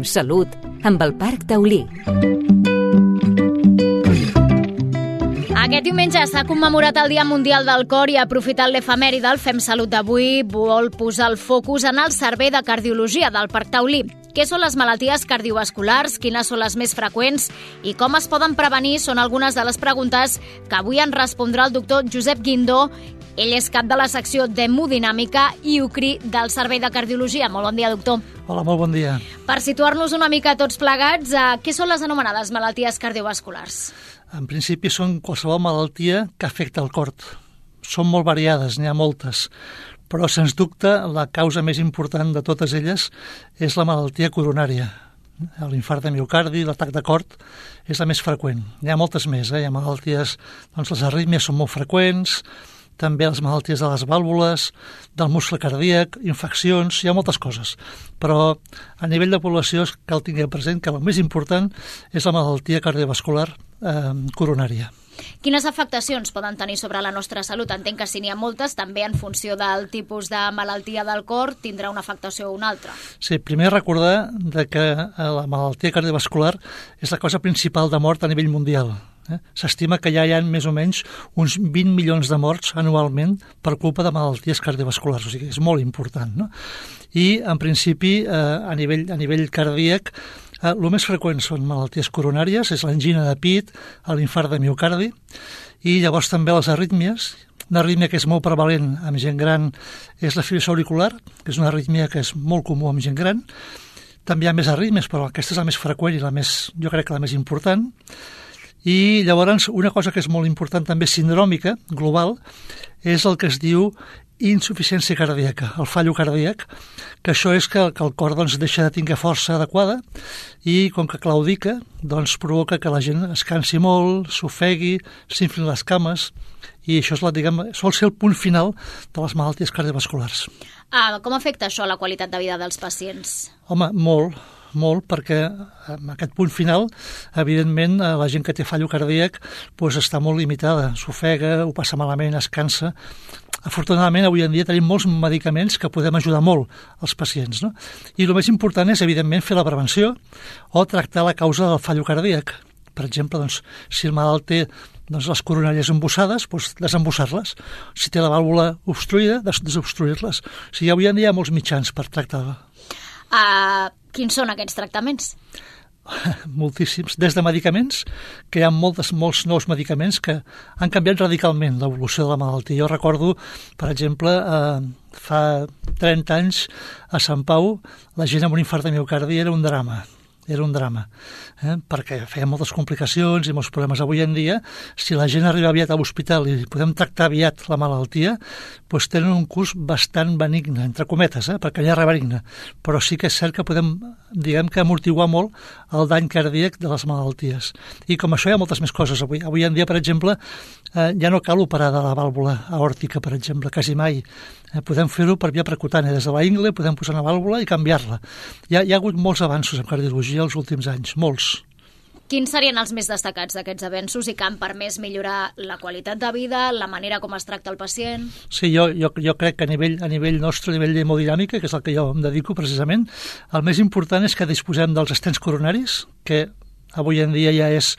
Salut, amb el Parc Taulí. Aquest diumenge s'ha commemorat el Dia Mundial del Cor i aprofitant l'efemèride, el Fem Salut d'avui vol posar el focus en el Servei de Cardiologia del Parc Taulí. Què són les malalties cardiovasculars, quines són les més freqüents i com es poden prevenir són algunes de les preguntes que avui ens respondrà el doctor Josep Guindó. Ell és cap de la secció d'hemodinàmica i UCRI del Servei de Cardiologia. Molt bon dia, doctor. Hola, molt bon dia. Per situar-nos una mica tots plegats, què són les anomenades malalties cardiovasculars? En principi són qualsevol malaltia que afecta el cor. Són molt variades, n'hi ha moltes, però sens dubte la causa més important de totes elles és la malaltia coronària. L'infart de miocardi, l'atac de cor és la més freqüent. N'hi ha moltes més, Hi ha malalties, les arrítmies són molt freqüents, també les malalties de les vàlvules, del muscle cardíac, infeccions, hi ha moltes coses. Però a nivell de població cal tenir present que el més important és la malaltia cardiovascular coronària. Quines afectacions poden tenir sobre la nostra salut? Entenc que si n'hi ha moltes, també en funció del tipus de malaltia del cor tindrà una afectació o una altra. Sí, primer recordar que la malaltia cardiovascular és la causa principal de mort a nivell mundial. S'estima que ja hi ha més o menys uns 20 milions de morts anualment per culpa de malalties cardiovasculars, o sigui, és molt important, no? I, en principi, a nivell cardíac, el més freqüent són malalties coronàries, és l'angina de pit, l'infart de miocardi, i llavors també les arrítmies. Una arrítmia que és molt prevalent amb gent gran és la fibrilació auricular, que és una arrítmia que és molt comú amb gent gran. També hi ha més arrítmies, però aquesta és la més freqüent i jo crec que la més important. I llavors una cosa que és molt important també sindròmica, global, és el que es diu insuficiència cardíaca, el fallo cardíac, que això és que el cor deixa de tenir força adequada i com que claudica provoca que la gent es cansi molt, s'ofegui, s'inflin les cames i això sol ser el punt final de les malalties cardiovasculars. Com afecta això la qualitat de vida dels pacients? Home, molt, perquè en aquest punt final, evidentment, la gent que té fallo cardíac està molt limitada, s'ofega, ho passa malament, es cansa. Afortunadament, avui en dia tenim molts medicaments que podem ajudar molt als pacients, no? I el més important és, evidentment, fer la prevenció o tractar la causa del fallo cardíac. Per exemple, si el malalt té les coronàries embussades, desembussar-les. Si té la vàlvula obstruïda, desobstruir-les. O sigui, avui en dia hi ha molts mitjans per tractar-la. Quins són aquests tractaments? Moltíssims. Des de medicaments, que hi ha molts nous medicaments que han canviat radicalment l'evolució de la malaltia. Jo recordo, per exemple, fa 30 anys a Sant Pau, la gent amb un infart de miocardi era un drama, perquè feia moltes complicacions i molts problemes. Avui en dia, si la gent arriba aviat a l'hospital i podem tractar aviat la malaltia, tenen un curs bastant benigne, entre cometes, perquè ja és benigne, però sí que és cert que podem, amortiguar molt el dany cardíac de les malalties. I com això hi ha moltes més coses avui. Avui en dia, per exemple, ja no cal operar de la vàlvula aòrtica, per exemple, quasi mai. Podem fer-ho per via percutània. Des de la ingle podem posar una vàlvula i canviar-la. Hi ha hagut molts avanços en cardiologia els últims anys, molts. Quins serien els més destacats d'aquests avenços i que han permès millorar la qualitat de vida, la manera com es tracta el pacient? Sí, jo crec que a nivell nostre, a nivell d'hemodinàmica, que és el que jo em dedico precisament, el més important és que disposem dels estents coronaris, que avui en dia ja és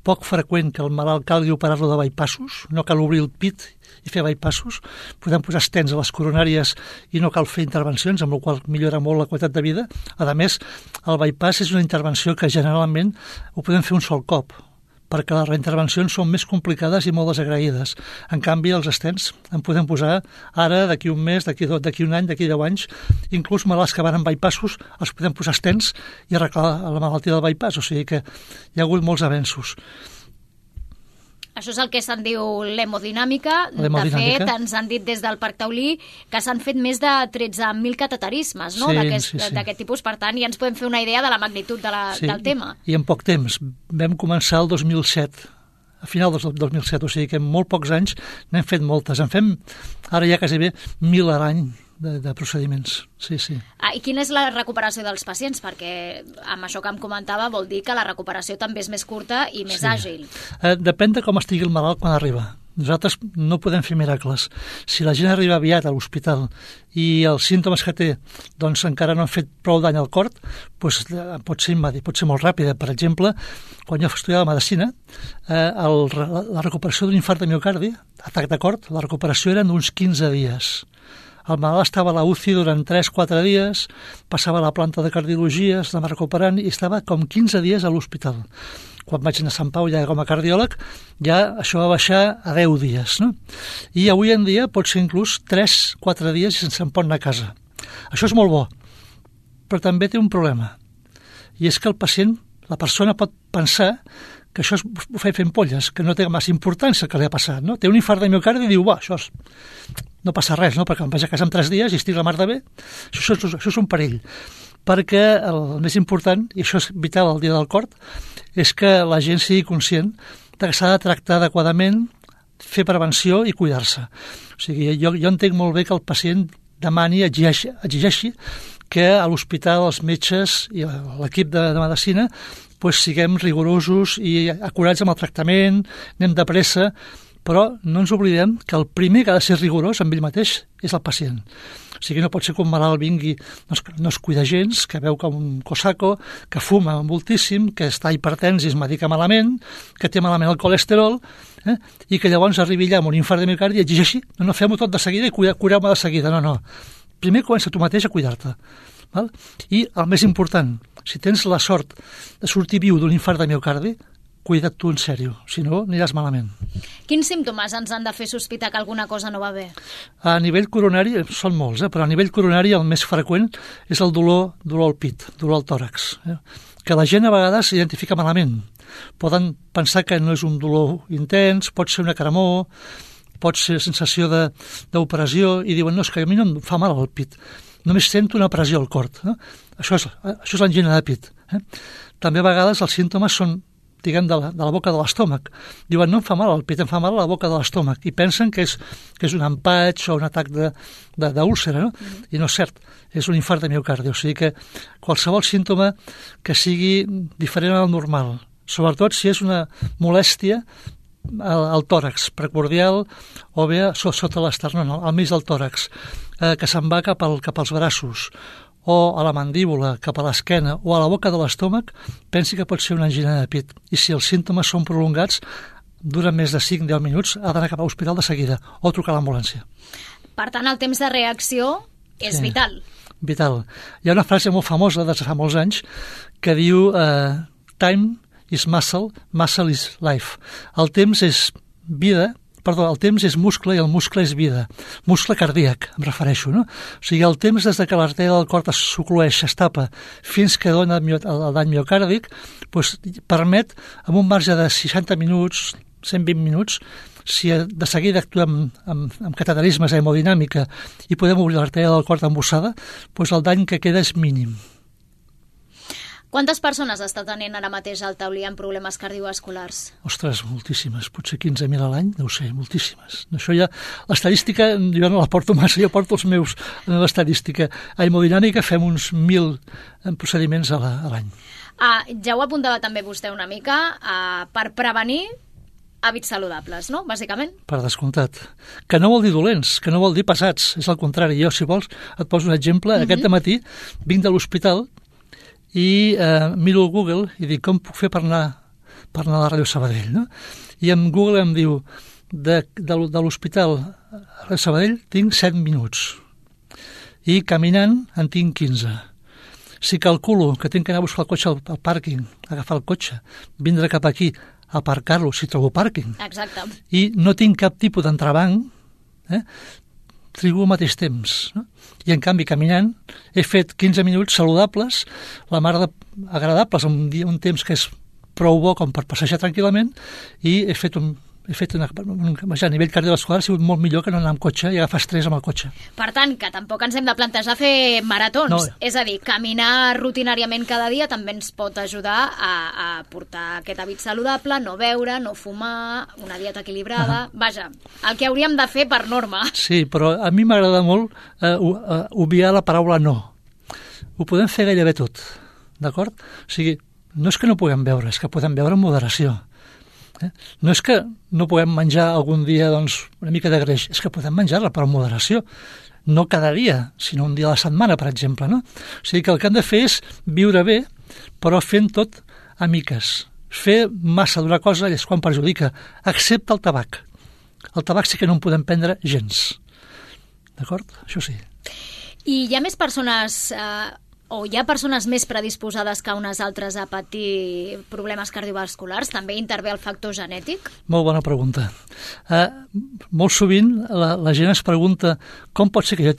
poc freqüent que el malalt calgui operar-lo de bypassos, no cal obrir el pit i fer bypassos, podem posar estents a les coronàries i no cal fer intervencions, amb la qual millora molt la qualitat de vida. A més, el bypass és una intervenció que generalment ho podem fer un sol cop, perquè les reintervencions són més complicades i molt desagraïdes. En canvi, els estents en podem posar ara, d'aquí un mes, d'aquí un any, d'aquí 10 anys, inclús malalts que van amb bypassos, els podem posar estents i arreglar la malaltia del bypass, o sigui que hi ha hagut molts avenços. Això és el que se'n diu l'hemodinàmica. De fet, ens han dit des del Parc Taulí que s'han fet més de 13.000 cateterismes, no? D'aquest tipus. Per tant, ja ens podem fer una idea de la magnitud del tema. I en poc temps. Vam començar el 2007, a final del 2007, o sigui que en molt pocs anys n'hem fet moltes. En fem ara ja quasi bé 1.000 a l'any de procediments. Sí. I quina és la recuperació dels pacients? Perquè amb això que em comentava vol dir que la recuperació també és més curta i més àgil. Depèn de com estigui el malalt quan arriba. Nosaltres no podem fer miracles. Si la gent arriba aviat a l'hospital i els símptomes que té doncs encara no han fet prou dany al cor, doncs pot ser immediat, pot ser molt ràpida. Per exemple, quan jo estudiava medicina, la recuperació d'un infart de miocardi, atac de cor, la recuperació eren d'uns 15 dies. El malalt estava a la UCI durant 3-4 dies, passava a la planta de cardiologia, estava recuperant i estava com 15 dies a l'hospital. Quan vaig anar a Sant Pau ja com a cardiòleg, ja això va baixar a 10 dies. No? I avui en dia pot ser inclús 3-4 dies i se'n pot anar a casa. Això és molt bo, però també té un problema. I és que el pacient, la persona pot pensar que això ho fa fent polles, que no té massa importància el que li ha passat. No? Té un infart de miocardi i diu, no passa res, no? Perquè em vaig a casa en 3 dies i estic la mar de bé. Això és un perill. Perquè el més important, i això és vital al dia del cor, és que la gent sigui conscient que s'ha de tractar adequadament, fer prevenció i cuidar-se. O sigui, jo entenc molt bé que el pacient demani, exigeixi que a l'hospital els metges i l'equip de medicina siguem rigorosos i acurats amb el tractament, anem de pressa, però no ens oblidem que el primer que ha de ser rigorós amb ell mateix és el pacient. O sigui, no pot ser que un malalt vingui, no es cuida gens, que veu com un cosaco, que fuma moltíssim, que està hipertens i es medica malament, que té malament el colesterol, i que llavors arribi allà amb un infart de miocardi i exigeixi, no fem-ho tot de seguida i cureu-me de seguida. No. Primer comença tu mateix a cuidar-te. Val? I el més important, si tens la sort de sortir viu d'un infart de miocardi, cuida't tu en sèrio, si no aniràs malament. Quins símptomes ens han de fer sospitar que alguna cosa no va bé? A nivell coronari, són molts, però a nivell coronari el més freqüent és el dolor al pit, dolor al tòrax, que la gent a vegades s'identifica malament. Poden pensar que no és un dolor intens, pot ser una cremor, pot ser sensació d'operació i diuen, no, és que a mi no em fa mal al pit, només sento una pressió al cor. No? Això és l'angina de pit. També a vegades els símptomes són, diguem, de la boca de l'estómac. Diuen, no em fa mal al pit, em fa mal a la boca de l'estómac. I pensen que és un empatx o un atac d'úlcera, no? I no és cert, és un infart de miocardi. O sigui que qualsevol símptoma que sigui diferent al normal, sobretot si és una molèstia al tòrax precordial o bé sota l'esternón, al mig del tòrax, que se'n va cap als braços o a la mandíbula, cap a l'esquena o a la boca de l'estómac, pensi que pot ser una angina de pit. I si els símptomes són prolongats, duren més de 5-10 minuts, ha d'anar cap a l'hospital de seguida o trucar a l'ambulància. Per tant, el temps de reacció és vital. Vital. Hi ha una frase molt famosa de fa molts anys que diu time is muscle, muscle is life. El temps és vida, el temps és muscle i el muscle és vida. Muscle cardíac, em refereixo, no? O sigui, el temps des que l'artèria del cor s'oclueix, es tapa, fins que dona el dany miocàrdic, permet, amb un marge de 60 minuts, 120 minuts, si de seguida actuem amb cateterismes, hemodinàmica, i podem obrir l'artèria del cor embossada, el dany que queda és mínim. Quantes persones està tenint ara mateix al Taulí amb problemes cardiovasculars? Ostres, moltíssimes. Potser 15.000 a l'any, no ho sé, moltíssimes. Això ja, l'estadística, jo no la porto massa, jo porto els meus en l'estadística. A hemodinàmica fem uns 1.000 procediments a l'any. Ja ho apuntava també vostè una mica, per prevenir hàbits saludables, no?, bàsicament. Per descomptat. Que no vol dir dolents, que no vol dir pesats. És el contrari. Jo, si vols, et poso un exemple. Aquest dematí vinc de l'hospital i miro el Google i dic, com puc fer per anar a la Ràdio Sabadell, no? I en Google em diu, de l'hospital a Ràdio Sabadell tinc 7 minuts i caminant en tinc 15. Si calculo que tinc que anar a buscar el cotxe al pàrquing, agafar el cotxe, vindre cap aquí, aparcar-lo, si trobo pàrquing, exacte, i no tinc cap tipus d'entrebanc, trigo al mateix temps, no? I en canvi caminant he fet 15 minuts saludables, la mar agradables, un temps que és prou bo com per passejar tranquil·lament, i he fet a nivell cardiovascular ha sigut molt millor que no anar amb cotxe i agafar estrès amb el cotxe. Per tant, que tampoc ens hem de plantejar fer maratons. No. És a dir, caminar rutinàriament cada dia també ens pot ajudar a portar aquest hàbit saludable, no beure, no fumar, una dieta equilibrada. Vaja, el que hauríem de fer per norma. Sí, però a mi m'agrada molt obviar la paraula no. Ho podem fer gairebé tot, d'acord? O sigui, no és que no puguem beure, és que podem beure amb moderació. No és que no puguem menjar algun dia una mica de greix, és que podem menjar-la per moderació. No cada dia, sinó un dia a la setmana, per exemple, no? O sigui que el que hem de fer és viure bé, però fent tot a miques. Fer massa d'una cosa és quan perjudica, excepte el tabac. El tabac sí que no en podem prendre gens. D'acord? Això sí. I hi ha més persones, o hi ha persones més predisposades que unes altres a patir problemes cardiovasculars? També intervé el factor genètic? Molt bona pregunta. Molt sovint la gent es pregunta com pot ser que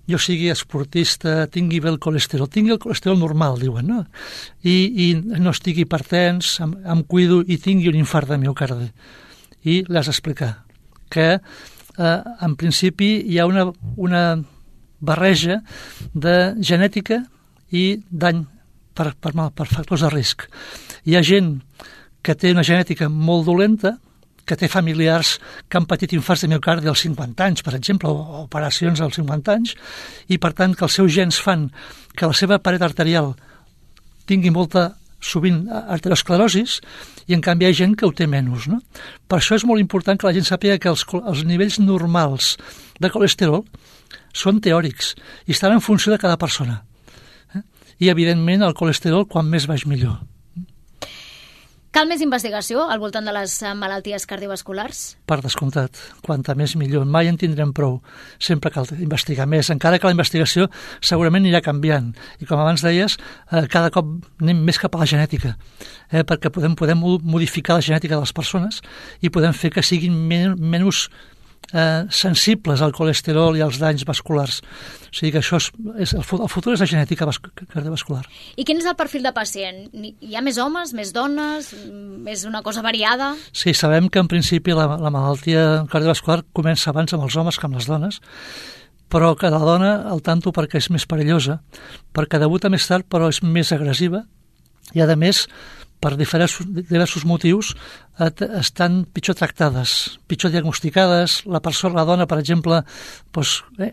jo sigui esportista, tingui bé el colesterol normal, diuen, no? I no estigui hipertens, em cuido i tingui un infart de miocardi. I l'has d'explicar que en principi hi ha una barreja de genètica i dany per factors de risc. Hi ha gent que té una genètica molt dolenta, que té familiars que han patit infarts de miocardi als 50 anys, per exemple, o operacions als 50 anys, i per tant que els seus gens fan que la seva paret arterial tingui sovint arteriosclerosis, i en canvi hi ha gent que ho té menys, no? Per això és molt important que la gent sàpiga que els nivells normals de colesterol són teòrics i estan en funció de cada persona. I, evidentment, el colesterol, quan més baix, millor. Cal més investigació al voltant de les malalties cardiovasculars? Per descomptat, quanta més millor. Mai en tindrem prou. Sempre cal investigar més, encara que la investigació segurament anirà canviant. I com abans deies, cada cop anem més cap a la genètica, perquè podem modificar la genètica de les persones i podem fer que siguin menys sensibles al colesterol i als danys vasculars. O sigui que això el futur és la genètica cardiovascular. I quin és el perfil de pacient? Hi ha més homes, més dones? És una cosa variada? Sí, sabem que en principi la malaltia cardiovascular comença abans amb els homes que amb les dones, però que la dona, al tanto, perquè és més perillosa, perquè debuta més tard però és més agressiva i, a més, per diversos motius, estan pitjor tractades, pitjor diagnosticades. La dona, per exemple,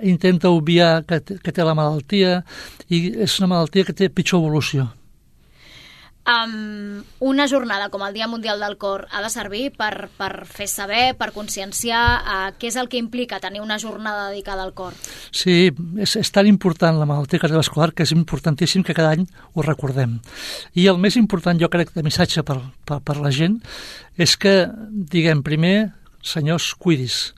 intenta obviar que té la malaltia i és una malaltia que té pitjor evolució. Una jornada com el Dia Mundial del Cor ha de servir per fer saber, per conscienciar què és el que implica tenir una jornada dedicada al cor. Sí, és tan important la malaltia cardiovascular que és importantíssim que cada any ho recordem. I el més important, jo crec, de missatge per la gent és que, diguem, primer, senyors, cuidis.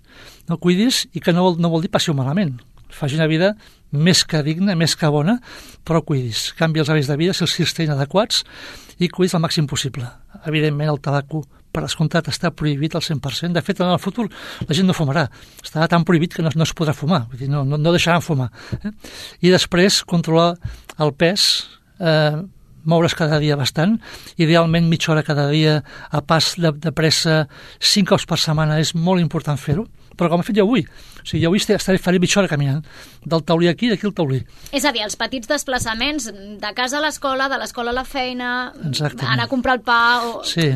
No cuidis i que no vol dir passi-ho malament. Faci una vida més que digna, més que bona, però cuidis. Canvi els hàbits de vida si els estiguin adequats i cuidis el màxim possible. Evidentment, el tabac, per descomptat, està prohibit al 100%. De fet, en el futur la gent no fumarà. Estarà tan prohibit que no es podrà fumar. Vull dir, no deixaran fumar. I després, controlar el pes, moure's cada dia bastant, idealment mitja hora cada dia a pas de pressa, 5 cops per setmana, és molt important fer-ho, però com he fet jo avui. O sigui, jo avui faré mitja hora caminant, del taulí aquí, d'aquí al taulí. És a dir, els petits desplaçaments de casa a l'escola, de l'escola a la feina, anar a comprar el pa,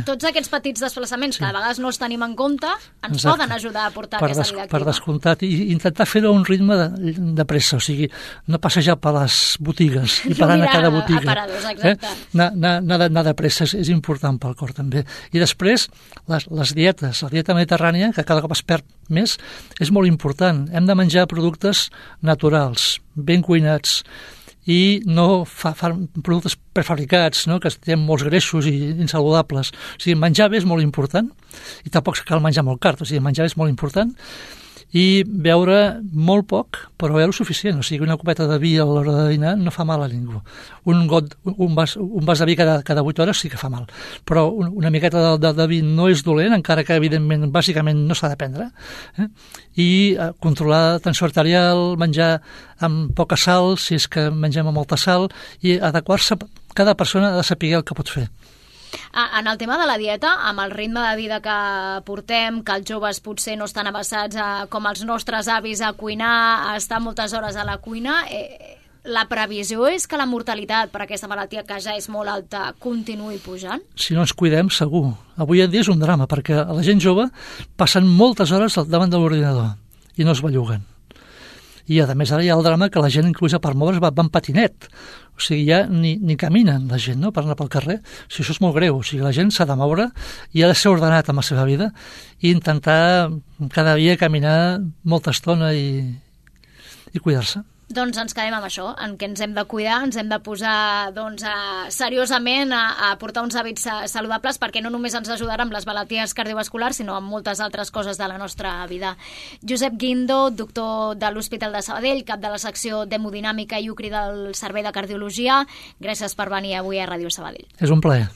tots aquests petits desplaçaments que a vegades no els tenim en compte, ens poden ajudar a portar aquesta vida activa. Per descomptat, i intentar fer-ho a un ritme de pressa, o sigui, no passejar per les botigues i parant a cada botiga. Aparadors, exacte. Anar de pressa és important pel cor també. I després, les dietes, la dieta mediterrània, que cada cop es perd més, és molt important. Hem de menjar productes naturals, ben cuinats, i no productes prefabricats, no? Que tenen molts greixos i insaludables. O sigui, menjar bé és molt important, i tampoc cal menjar molt car, o sigui, menjar bé és molt important, i beure molt poc, però beure suficient. O sigui, una copeta de vi a l'hora de dinar no fa mal a ningú. Un vas de vi cada 8 hores sí que fa mal, però una miqueta de vi no és dolent, encara que, evidentment, bàsicament no s'ha de prendre. I controlar la tensió arterial, menjar amb poca sal, si és que mengem amb molta sal, i adequar-se. Cada persona ha de saber el que pot fer. En el tema de la dieta, amb el ritme de vida que portem, que els joves potser no estan avesats com els nostres avis a cuinar, a estar moltes hores a la cuina, la previsió és que la mortalitat per aquesta malaltia, que ja és molt alta, continuï pujant? Si no ens cuidem, segur. Avui en dia és un drama, perquè la gent jove passen moltes hores davant de l'ordinador i no es belluguen. I a més ara hi ha el drama que la gent inclús per moure's va en patinet, o sigui, ja ni caminen la gent, no?, per anar pel carrer. O sigui, això és molt greu, o sigui, la gent s'ha de moure i ha de ser ordenat amb la seva vida i intentar cada dia caminar molta estona i cuidar-se. Doncs ens quedem amb això, en què ens hem de cuidar, ens hem de posar seriosament a portar uns hàbits saludables, perquè no només ens ajudarà amb les malalties cardiovasculars, sinó amb moltes altres coses de la nostra vida. Josep Guindo, doctor de l'Hospital de Sabadell, cap de la secció d'hemodinàmica i UCRI del Servei de Cardiologia, gràcies per venir avui a Ràdio Sabadell. És un plaer.